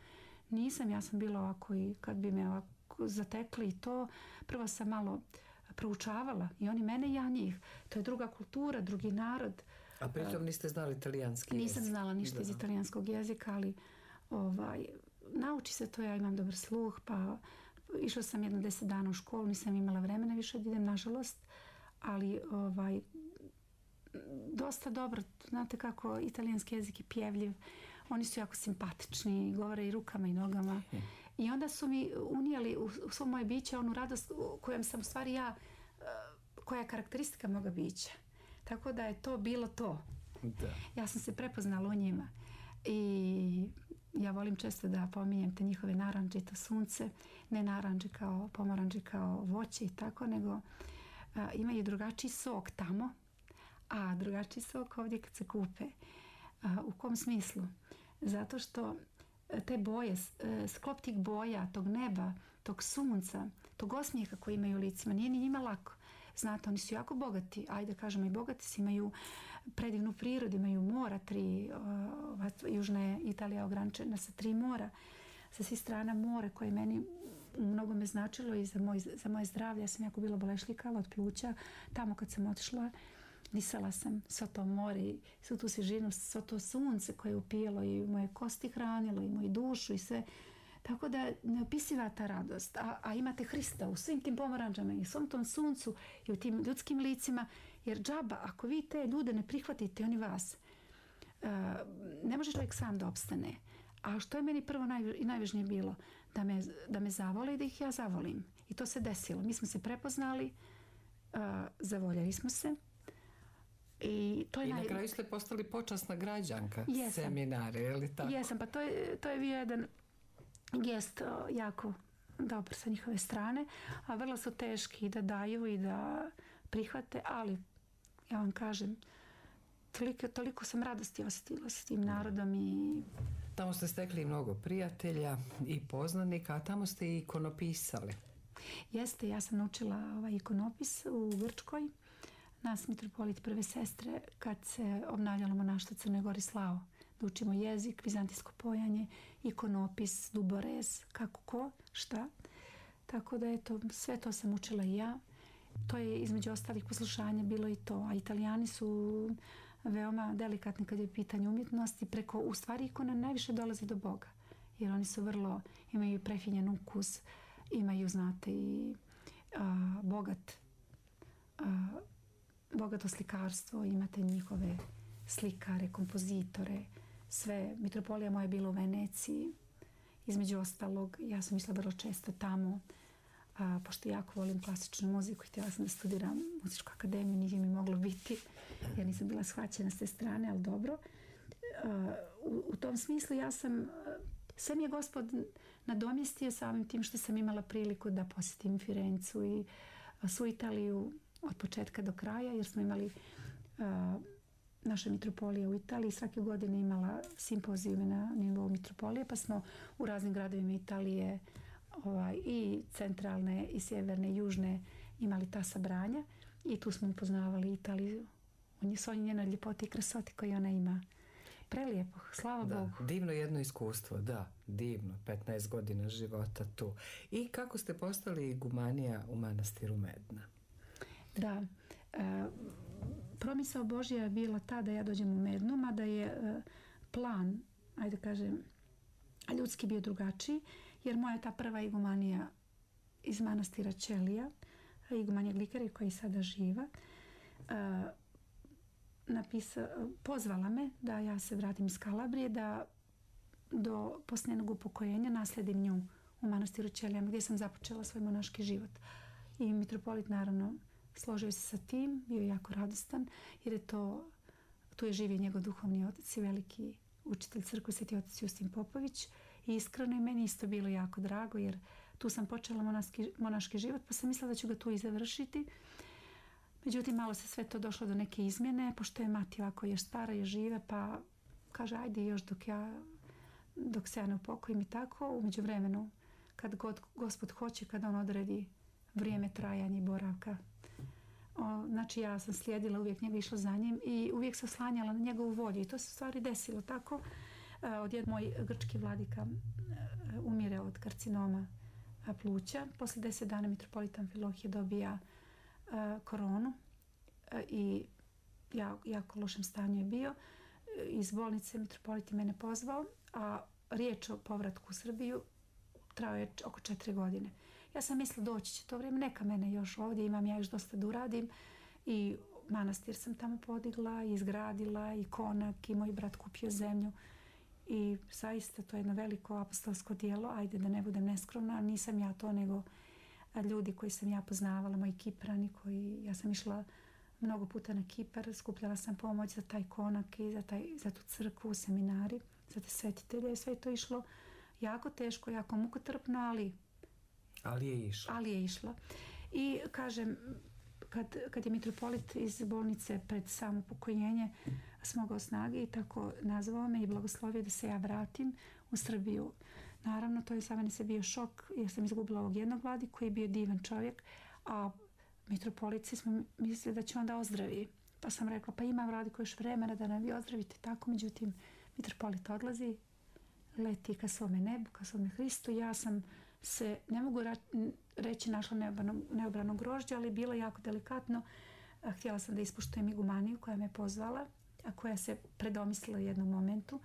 Nisam, ja sam bila ovako i kad bi me ovako zatekli i to, prvo sam malo proučavala i oni mene i ja njih. To je druga kultura, drugi narod. A pritom niste znali italijanski jezik? Nisam znala ništa da. iz italijanskog jezika, ali ovaj, nauči se to, ja imam dobar sluh, pa išla sam jedno deset dana u školu, nisam imala vremena više da idem, nažalost, ali ovaj, dosta dobro, znate kako italijanski jezik je pjevljiv, oni su jako simpatični, govore i rukama i nogama. Hmm. I onda su mi unijeli u, u svo moje biće onu radost kojom sam u stvari ja, koja je karakteristika moga bića. Tako da je to bilo to. Da. Ja sam se prepoznala u njima. I ja volim često da pominjem te njihove naranđe i to sunce. Ne naranđe kao pomoranđe kao voće i tako, nego a, imaju drugačiji sok tamo, a drugačiji sok ovdje kad se kupe. A, u kom smislu? Zato što te boje, sklop tih boja, tog neba, tog sunca, tog osmijeha koji imaju u licima, nije ni njima lako. Znate, oni su jako bogati, ajde kažemo i bogati si, imaju predivnu prirodu, imaju mora, tri, uh, južna je Italija ograničena sa tri mora, sa svih strana more koje meni mnogo me značilo i za, moj, za moje zdravlje. Ja sam jako bila bolešljikava od pluća. Tamo kad sam otišla, disala sam svo to more i svu tu svježinu, svo to sunce koje je upijalo i moje kosti hranilo i moju dušu i sve. Tako da neopisiva ta radost. A, a imate Hrista u svim tim pomoranđama i u svom tom suncu i u tim ljudskim licima. Jer džaba, ako vi te ljude ne prihvatite, oni vas, uh, ne može čovjek sam da opstane. A što je meni prvo naj, i najvažnije bilo? Da me, da me zavole i da ih ja zavolim. I to se desilo. Mi smo se prepoznali, uh, zavoljeli smo se. I, to je I naj... na kraju ste postali počasna građanka Jesam. seminare, je li tako? Jesam, pa to je, to je bio jedan gest jako dobar sa njihove strane, a vrlo su teški da daju i da prihvate, ali ja vam kažem, toliko, toliko sam radosti osjetila s tim narodom i... Tamo ste stekli mnogo prijatelja i poznanika, a tamo ste i ikonopisali. Jeste, ja sam naučila ovaj ikonopis u Grčkoj. Nas, mitropolit prve sestre, kad se obnavljalo monaštvo Crne Gori slao, da učimo jezik, vizantijsko pojanje, ikonopis, duborez, kako ko, šta. Tako da eto, sve to sam učila i ja. To je između ostalih poslušanja bilo i to. A Italijani su veoma delikatni kad je pitanje umjetnosti. Preko, u stvari ikona najviše dolazi do Boga. Jer oni su vrlo, imaju prefinjen ukus, imaju, znate, i a, bogat a, bogato slikarstvo, imate njihove slikare, kompozitore, sve. Mitropolija moja je bila u Veneciji, između ostalog, ja sam mislila vrlo često tamo, a, pošto jako volim klasičnu muziku i htjela sam da studiram muzičku akademiju, nije mi moglo biti, jer nisam bila shvaćena s te strane, ali dobro. A, u, u tom smislu ja sam, sve mi je Gospod nadomjestio samim tim što sam imala priliku da posjetim Firencu i a, svu Italiju od početka do kraja, jer smo imali a, naša mitropolija u Italiji svake godine imala simpozijume na nivou mitropolije, pa smo u raznim gradovima Italije ovaj, i centralne i sjeverne i južne imali ta sabranja i tu smo upoznavali Italiju u svoj njenoj ljepoti i krasoti koju ona ima. Prelijepo, slava da, Bogu. Divno jedno iskustvo, da, divno, petnaest godina života tu. I kako ste postali igumanija u manastiru Medna? Da, e, promisao Božja je bila ta da ja dođem u Mednu, mada je e, plan, ajde kažem, ljudski bio drugačiji, jer moja ta prva igumanija iz manastira Ćelija, igumanija Glikari koja je sada živa, e, napisa, pozvala me da ja se vratim iz Kalabrije, da do posljednog upokojenja nasledim nju u manastiru Ćelijama gdje sam započela svoj monaški život. I mitropolit naravno složio se sa tim, bio je jako radostan, jer je to, tu je živio njegov duhovni otac i veliki učitelj crkve, sveti otac Justin Popović. I iskreno je meni isto bilo jako drago, jer tu sam počela monaški, monaški život, pa sam mislila da ću ga tu i završiti. Međutim, malo se sve to došlo do neke izmjene, pošto je mati ovako još stara i žive, pa kaže, ajde još dok ja, dok se ja ne upokojim i tako. U međuvremenu, kad god Gospod hoće, kad on odredi vrijeme trajanja i boravka. O, znači, ja sam slijedila, uvijek njega išla za njim i uvijek se oslanjala na njegovu volju. I to se u stvari desilo tako. E, odjed moj grčki vladika e, umire od karcinoma pluća. Posle deset dana mitropolit Amfilohije dobija e, koronu e, i ja, jako lošem stanju je bio. E, iz bolnice mitropolit je mene pozvao, a riječ o povratku u Srbiju trao je oko četiri godine. Ja sam mislila doći će to vrijeme, neka mene još ovdje, imam ja još dosta da uradim i manastir sam tamo podigla, izgradila i konak i moj brat kupio zemlju i zaista to je jedno veliko apostolsko djelo, ajde da ne budem neskromna, nisam ja to nego ljudi koji sam ja poznavala, moji Kiprani koji, ja sam išla mnogo puta na Kipar, skupljala sam pomoć za taj konak i za, taj, za tu crkvu, seminari, za te svetitelje, sve je to išlo jako teško, jako mukotrpno, ali Ali je išla. Ali je išla. I kažem, kad, kad je mitropolit iz bolnice pred samo pokojnjenje smogao snage i tako nazvao me i blagoslovio da se ja vratim u Srbiju. Naravno, to je za mene se bio šok jer sam izgubila ovog jednog vladi koji je bio divan čovjek, a mitropolici smo mislili da će onda ozdravi. Pa sam rekla, pa ima vladi koji još vremena da nam vi ozdravite. Tako, međutim, mitropolit odlazi, leti ka svome nebu, ka svome Hristu. Ja sam se, ne mogu reći našla neobrano, neobrano grožđe, ali bilo jako delikatno. Htjela sam da ispoštujem igumaniju koja me pozvala, a koja se predomislila u jednom momentu.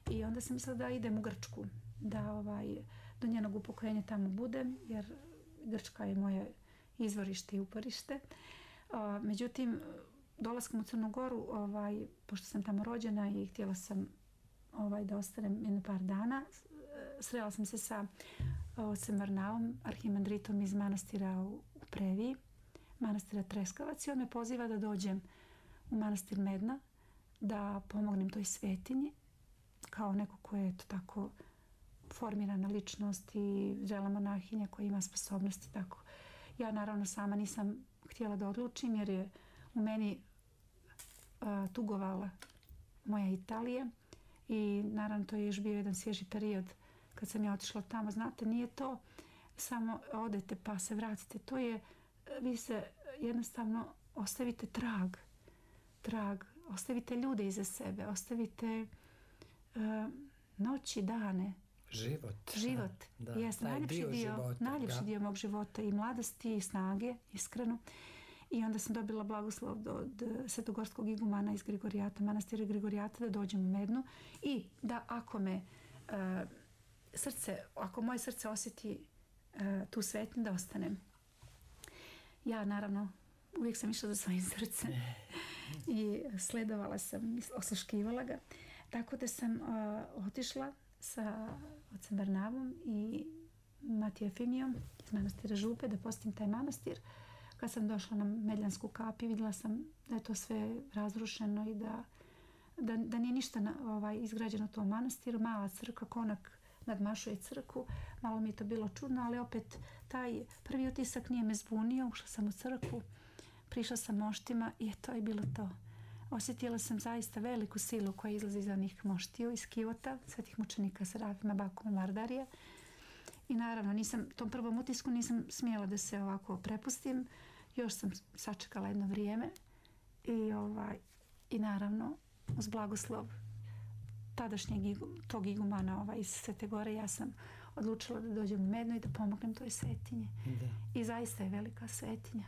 I onda sam mislila da idem u Grčku, da ovaj, do njenog upokojenja tamo budem, jer Grčka je moje izvorište i uporište. A, međutim, dolaskom u Crnu Goru, ovaj, pošto sam tamo rođena i htjela sam ovaj, da ostanem jedno par dana, srela sam se sa ocem Varnavom, arhimandritom iz manastira u Previji, manastira Treskavac, i on me poziva da dođem u manastir Medna, da pomognem toj svetinji, kao neko ko je to tako formirana ličnost i zrela monahinja koja ima sposobnosti. Tako. Ja naravno sama nisam htjela da odlučim jer je u meni a, tugovala moja Italija i naravno to je još bio jedan svježi period kad sam ja otišla tamo. Znate, nije to samo odete pa se vratite. To je, vi se jednostavno ostavite trag. Trag. Ostavite ljude iza sebe. Ostavite uh, noći, dane. Život. Život. Da, Jest, najljepši dio, dio, života, najljepši da. dio mog života i mladosti i snage, iskreno. I onda sam dobila blagoslov od svetogorskog igumana iz Grigorijata, manastira Grigorijata, da dođem u Mednu i da ako me uh, srce, ako moje srce osjeti uh, tu svetinju, da ostanem. Ja naravno uvijek sam išla za svojim srcem i sledovala sam, osluškivala ga. Tako da sam uh, otišla sa ocem Varnavom i Matijom Efimijom iz manastira Župe da posjetim taj manastir. Kad sam došla na Medljansku kap i vidjela sam da je to sve razrušeno i da, da, da nije ništa na, ovaj, izgrađeno u tom manastiru. Mala crkva, konak nadmašuje crkvu. Malo mi je to bilo čudno, ali opet taj prvi utisak nije me zbunio. Ušla sam u crkvu, prišla sam moštima i to je bilo to. Osjetila sam zaista veliku silu koja izlazi iz onih moštiju, iz kivota, svetih mučenika Serafima, Bakuma, Mardarija. I naravno, nisam, tom prvom utisku nisam smjela da se ovako prepustim. Još sam sačekala jedno vrijeme i, ovaj, i naravno, uz blagoslov tadašnjeg igu, tog igumana ovaj, iz Svete Gore, ja sam odlučila da dođem u Mednu i da pomognem toj svetinji. Da. I zaista je velika svetinja.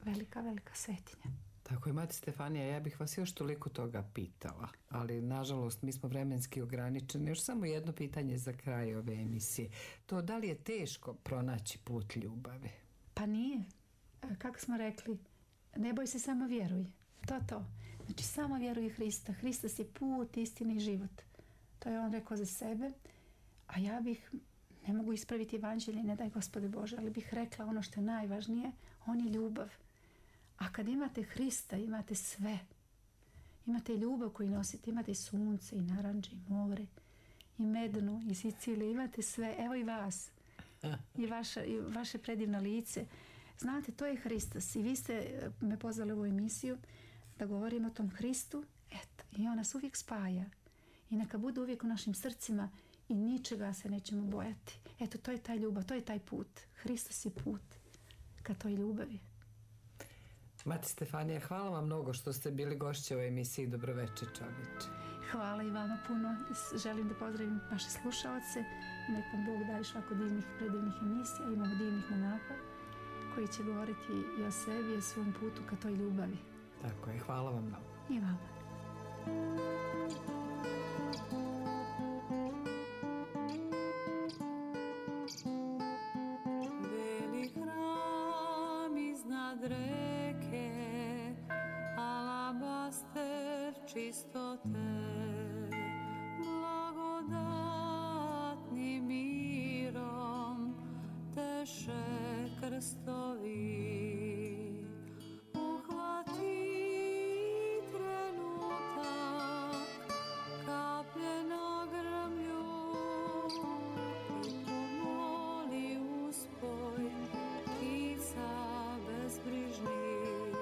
Velika, velika svetinja. Tako je, mati Stefanija, ja bih vas još toliko toga pitala, ali nažalost mi smo vremenski ograničeni. Još samo jedno pitanje za kraj ove emisije. To da li je teško pronaći put ljubavi? Pa nije. Kako smo rekli, ne boj se, samo vjeruj. To to. Znači samo vjeruj Hrista. Hristos je put, istina i život. To je on rekao za sebe. A ja bih, ne mogu ispraviti evanđelje, ne daj Gospode Bože, ali bih rekla ono što je najvažnije, on je ljubav. A kad imate Hrista, imate sve. Imate ljubav koju nosite, imate i sunce, i naranđe, i more, i Mednu, i Siciliju, imate sve. Evo i vas. I, vaša, i vaše predivno lice. Znate, to je Hristos i vi ste me pozvali u ovu emisiju da govorim o tom Hristu. Eto, i on nas uvijek spaja. I neka bude uvijek u našim srcima i ničega se nećemo bojati. Eto, to je taj ljubav, to je taj put. Hristos je put ka toj ljubavi. Mati Stefanija, hvala vam mnogo što ste bili gošće u emisiji Dobroveče čovječe. Hvala i vama puno. Želim da pozdravim vaše slušaoce. Nek vam Bog da još ovako divnih, predivnih emisija. Imamo divnih monaha koji će govoriti i o sebi i o svom putu ka toj ljubavi. Tako je, hvala vam mnogo. I vama. Beli hram iznad reke, alabaster čistote, blagodatnim mirom teše krstovi. Uhvati trenutak, kaplje na grmlju i pomoli uspoj ptica bezbrižnih.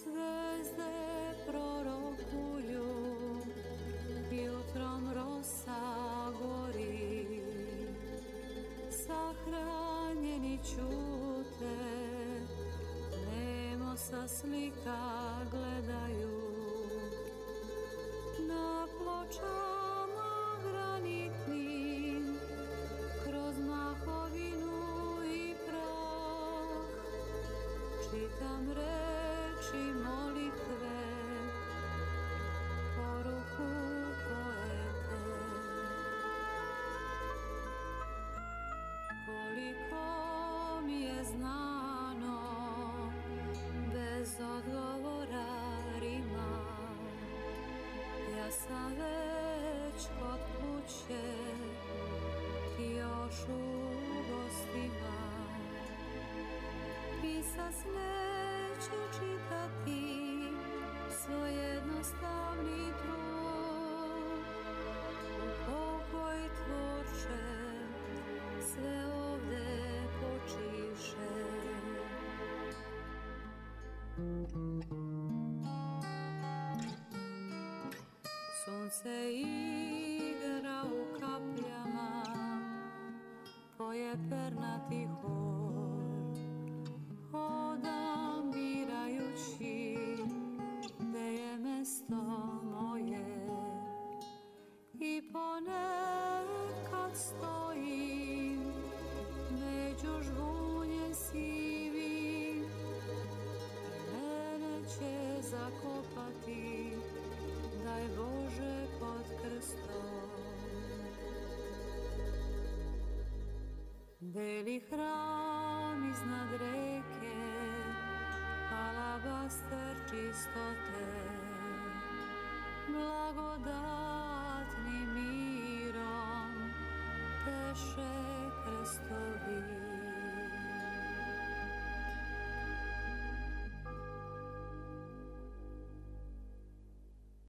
Zvezde prorokuju, jutrom rosa gori, sahranjeni ćute, nemo sa slika gledaju. Na pločama granitnim, kroz mahovinu i prah, čitam reči molitve, poruku poete. Koliko mi je znano, bez odgovora rima, ja sam već kod kuće, ti još u gostima. Pisas neću čitati svoj jednostavni trud. Pokoj tvorče, sve ovde počiše. Sunce igra u kapljama, poje pernati hor. Hodam birajući gde je mesto moje i ponekad stojim među žbunje sivi. Mene će zakopati, daj Bože, pod krstom. Beli hram iznad reke, alabaster čistote, blagodatnim mirom teše krstovi.